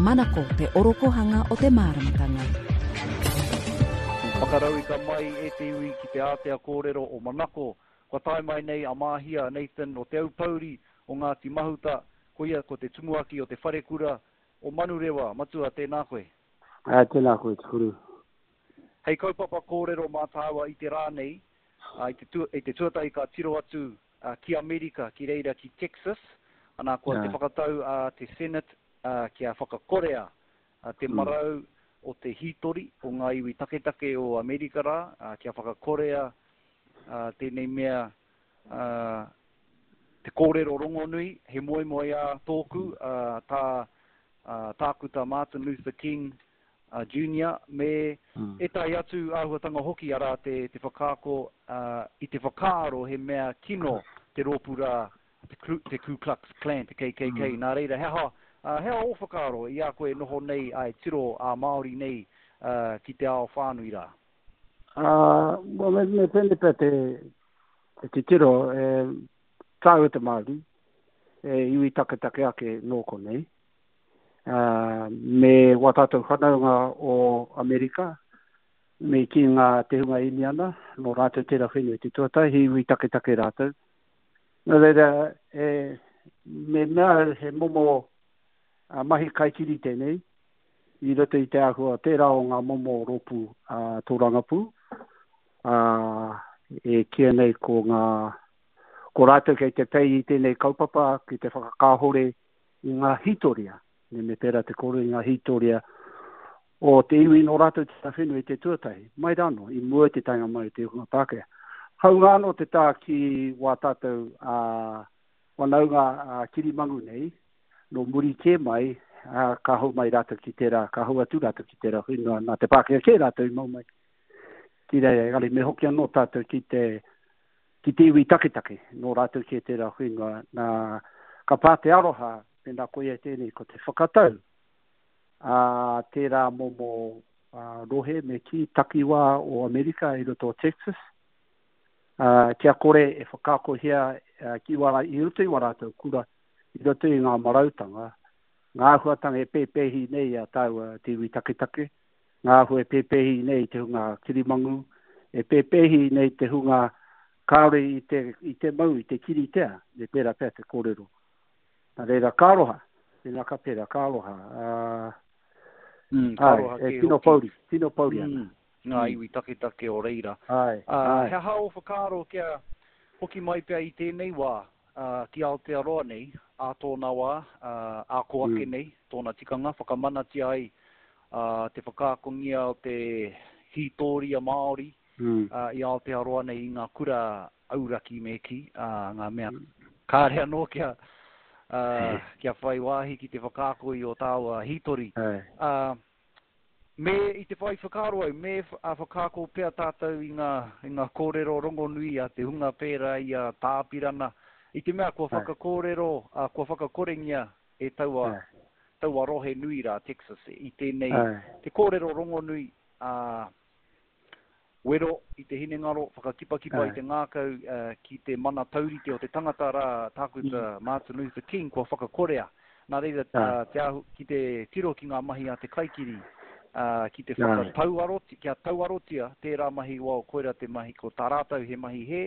Manako te orokohanga o te māramatanga. Whakarauika mai e te iwi ki te ātea kōrero o Manako. Kua tae mai nei a Māhia Nathan o Te Aupōuri o Ngāti Mahuta, koia ko te tumuaki o te wharekura o Manurewa. Matua, tēnā koe. Ā, tēnā koe, Te Kuru. Hei kaupapa kōrero mā tāua i te rā nei, i te, i te tuatahi ka tiro atu ki Amerika, ki reira ki Texas, ana kua te whakatau a te Senate kia whakakorea te marau o te hītori o ngā iwi taketake o Amerika rā, kia whakakorea tēnei mea te kōrero rongonui, he moemoeā tōku, tā Tākuta Martin Luther King Junior me ētahi atu āhuatanga hoki, arā te whakaako i te whakaaro he mea kino te rōpū rā, te Ku Klux Klan, te KKK. Nā reira, he aha, he aha ō whakaaro i a koe e noho nei, āe, tiro ā-Māori nei ki te ao whānui rā? Well, me pēnei pea te titiro, e tāua te Māori, e iwi taketake ake nō konei, me wā tātou whanaunga o Amerika, me kī ngā te hunga Īniana, nō rātou tērā whenua i te tuatahi, he iwi taketake rātou. Nō reira, e, me mea he momo mahi kaikiri tēnei, i roto i te āhua tērā o ngā momo rōpū tōrangapū, ā, e kīia nei ko ngā, ko rātou kei te pei i tēnei kaupapa ki te whakakāhore i ngā hītoria, me me pērā te kōrero i ngā hītoria o te iwi nō rātou te whenua i te tuatahi, mai rānō, i mua i te taenga mai o te hunga Pākehā. Hāunga anō te tā ki wā tātou ā, whanaunga ā, kirimangu nei, nō muri kē mai, ā, ka hou mai rātou ki tērā, ka hou atu rātou ki tērā whenua, nā te Pākehā kē rātou i mau mai ki reira, engari me hoki anō tātou ki te, ki te iwi taketake, nō rātou kē tērā whenua, nā, ka pā te aroha, mēnā koia tēnei, ko te whakatau a tērā momo rohe me kī takiwā o Amerika i roto o Texas, ā, kia kore e whakaakohia ki wā, i roto i wā rātou kura, i roto i ngā marautanga, ngā āhuatanga e pēpēhi nei i a tāua te iwi taketake, ngā āhua e pēpēhi nei i te hunga kirimangu, e pēpēhi nei te hunga kāore i te, i te mau, i te kiritea, me pērā pea te kōrero. Nā reira, ka aroha, mēnā ka pērā, ka aroha. Uh, mm, ka aroha ai, e, tino pouri, tino pouri ana. Mm, ngā mm. iwi taketake o reira. Ai, uh, ai. He aha ō whakaaro kia hoki mai pea i tēnei wā, ā, ki Aotearoa nei, ā tōna wā, ā, ā kō ake nei, tōna tikanga, whakamanatia ai, ā, te whakaakongia o te hītōria Māori, ā, i Aotearoa nei i ngā kura auraki me kī, ā, ngā mea kāre anō kia, ā, kia whai wāhi ki te whakaako i ō tāua hītori. Ā, Me i te whai whakaaro au, me whakaako pea tātou i ngā, i ngā kōrero rongonui a te hunga pērā i a Tā Apirana, i te mea kua whakakōrero, kua whakakorengia e taua, taua rohe nui rā, Texas, i tēnei, te kōrero rongonui a, Wero i te hinengaro, whakakipakipa i te ngākau ki te mana taurite o te tangata rā, Tākuta Martin Luther King, kua whakakorea. Nā reira, te ahu, ki te tiro ki ngā mahi a te kaikiri, ki te whakatauarotia, kia tauarotia tērā mahi, well, koira te mahi, ko tā rātou he mahi hē,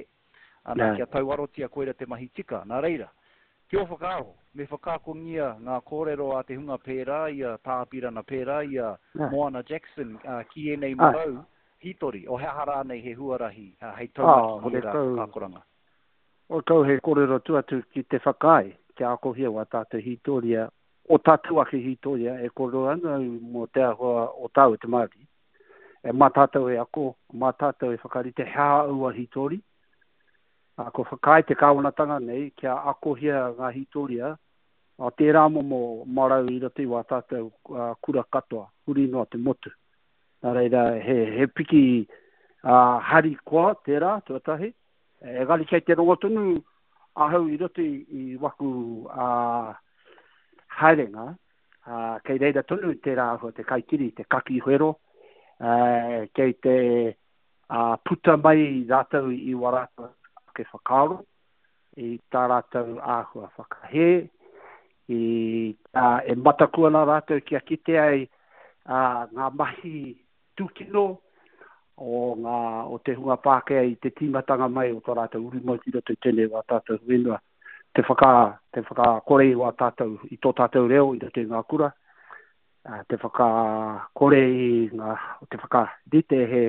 ana, kia tauarotia koira te mahi tika. Nā reira, ki ō whakaaro, me whakaakongia ngā kōrero a te hunga pērā i a Tā Apirana, pērā i a Moana Jackson ki ēnei marau hītori, o he aha rānei he huarahi hei taunaki i ērā whakaakoranga? Horekau he kōrero atu atu ki te whakaae kia akohia wā tātou hītoria, o tātou ake hītoria e kōrero ana au mō te āhua o tāua te Māori. E mā tātou e ako, mā tātou e whakarite he aha aua hītori. Ā, kua whakaae te kāwanatanga nei kia akohia ngā hītoria o tērā momo marau i roto i wā tātou kura katoa, huri noa te motu. Nā reira, he, he piki uh, harikoa tērā, tuatahi. Engari kei te rongo tonu ahau i roto i, i waku uh, haerenga, ā, kei reira tonu tērā āhua te kaikiri, te kaki whero, ā, kei te ā, puta mai rātou i wā rātou ake whakaaro, i tā rātou āhua whakahē, I, ā, e mataku ana rātou kia kite ai ā, ngā mahi tūkino o, ngā, o te hunga Pākehā i te tīmatanga mai o tō rātou uru mai ki roto i tēnei wā tātou whenua, te whaka, te whakakore i wā tātou, i tō tātou reo i roto i ngā kura, ā, te whakakore i ngā, te whakarite he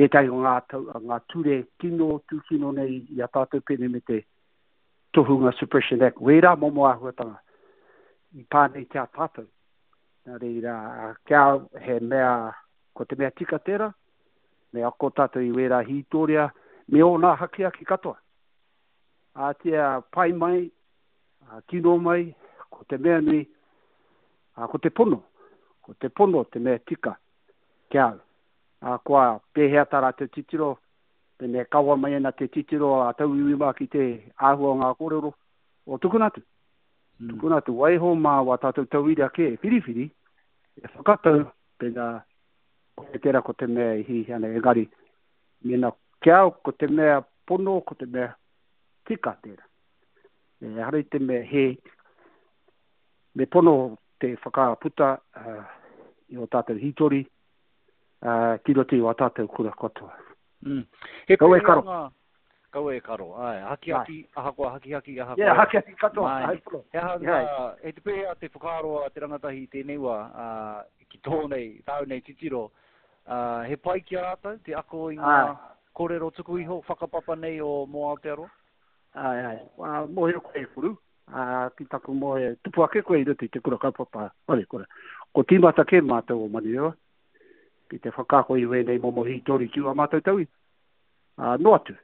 ētahi o ngā, tau, ngā ture kino, tūkino nei i a tātou pēnei me te Tohunga Suppression Act, wērā momo āhuatanga i pā nei ki a tātou. Nā reira, kia he mea, ko te mea tika tērā, me ako tātou i wērā hītoria, me ōna hakihaki katoa. Ātia pai mai, kino mai, ko te mea nui, ko te pono, ko te pono te mea tika ki a au. Ahakoa pēhea tā rātou titiro, pēnei e kawa mai ana te titiro a tauiwi mā ki te āhua o ngā kōrero, o tukuna atu. Mm. Tukuna atu, waiho mā wā tātou tauira kē e whiriwhiri, e whakatau, pēnā, ko tērā ko te mea e hihi ana, engari, mēnā ki au, ko te mea pono, ko te mea tika tērā. Ehara i te mea hē, me pono te whakaputa uh, i o tātou hītori, uh, ki roto i wā tātou kura katoa. Mm. He Kaua e karo. Ngā... Kaua e karo, ai. Hakihaki, ahakoa hakihaki, ahakoa. Yeah, hakihaki katoa, ai pono. He aha ngā, e te pēhea te whakaaro a te rangatahi i tēnei wā, uh, ki tō nei, tāu nei titiro, uh, he pai ki a rātou te ako i ngā kōrero tuku iho, whakapapa nei o mō Aotearoa? Ai, ai. Uh, mōhio koe e Kuru, uh, ki taku mōhio, tupu ake koe i roto i te kura kaupapa wharekura. Ko tīmata kē mātou o Manurewa, ki te whakaako i wēnei momo hītori ki ua mātou tauira. Uh, noa atu.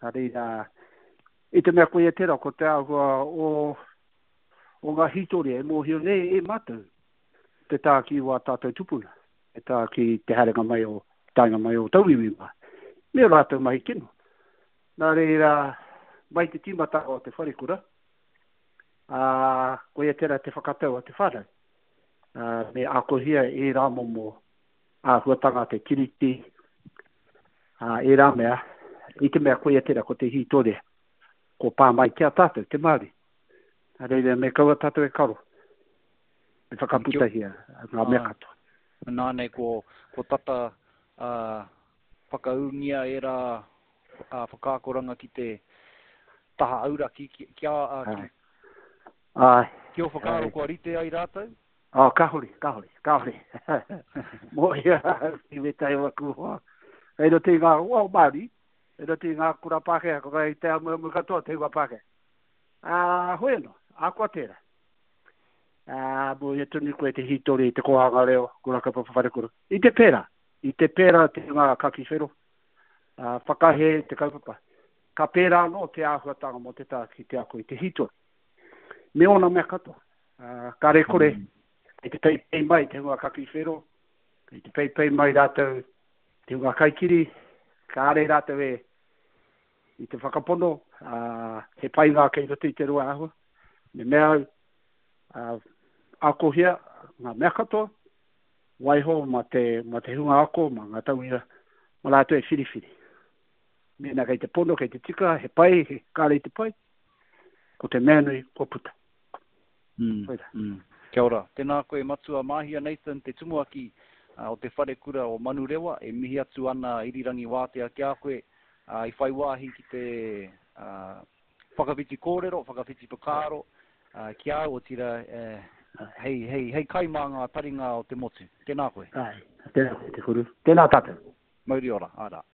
Nā reira, i te mea koia tērā, ko te āhua o, o ngā hītori e mōhio nei e mātou te tā ki wā tātou tupuna, te tā ki te haerenga mai o, taenga mai o tauiwi mā. Me o rātou mahi kino. Nā reira, mai te tīmatanga o te wharekura, ā, koia tērā te whakatau a te whānau. Ā, me akohia ērā momo āhuatanga te tiriti, ā, ērā mea, i te mea koia tērā ko te hītore, ko pā mai ki a tātou, te Māori. Nā reira, me kaua tātou e karo, me whakaputahia ngā mea katoa. Nā nei ko, ko tata, ā, whakaūngia ērā whakaakoranga ki te taha auraki, ki, ki a, ki, Āe. Ki ō whakaaro kua rite ai rātou? Oh, kāore, kāore, kāore. Mōhio ahau ki wētahi o aku hoa. Kei roto i ngā hoa Māori, kei roto i ngā kura Pākehā, ko kei te amuamu katoa te hunga Pākehā. Ā, hoi anō, ahakoa tērā. Ā, mōhio tonu koe te hītori i te kōhanga reo, kura kaupapa wharekura. I te pērā, i te pērā te hunga kaki whero, ā, whakahē te kaupapa. Ka pērā anō te āhuatanga mō te taha ki te ako i te hītori. Me ōna mea katoa. Ā, kāre kore, kei te peipei mai te hunga kaki whero, kei te peipei mai rātou te hunga kaikiri, kāre rātou e i te whakapono, ā, he painga kei roto i te roa āhua. Me mea au, ā, akohia ngā mea katoa, Waiho ma te, ma te hunga ako, ma nga tauira, ma ratou e whiriwhiri. Mena kei te pono, kei te tika, he pai, he kare i te pai, ko te mea nui, kua puta. Mm, Koira. Mm. Kia ora. Tēnā koe Matua Māhia Nathan, te tumuaki o te Wharekura o Manurewa, e mihi atu ana Irirangi Wātea ki a koe, i whai wāhi ki te Whakawhiti kōrero, whakawhiti whakaaro ki a au, otirā, hei, hei, hei kai mā ngā taringa o te motu. Tēnā koe. Āe, tēnā koe Te Kuru. Tēnā tātou. Mauri ora, āe rā.